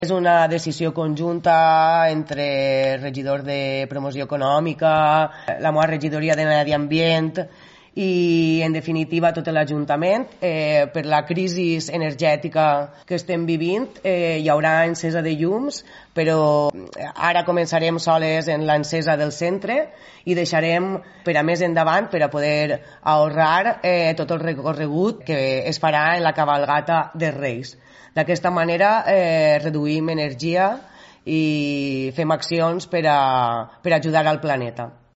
És una decisió conjunta entre el regidor de Promoció Econòmica, la meva regidoria de Medi Ambient i, en definitiva, tot l'Ajuntament. Per la crisi energètica que estem vivint hi haurà encesa de llums, però ara començarem soles en l'encesa del centre i deixarem per a més endavant per a poder ahorrar tot el recorregut que es farà en la cavalgata dels Reis. D'aquesta manera reduïm energia i fem accions per ajudar al planeta.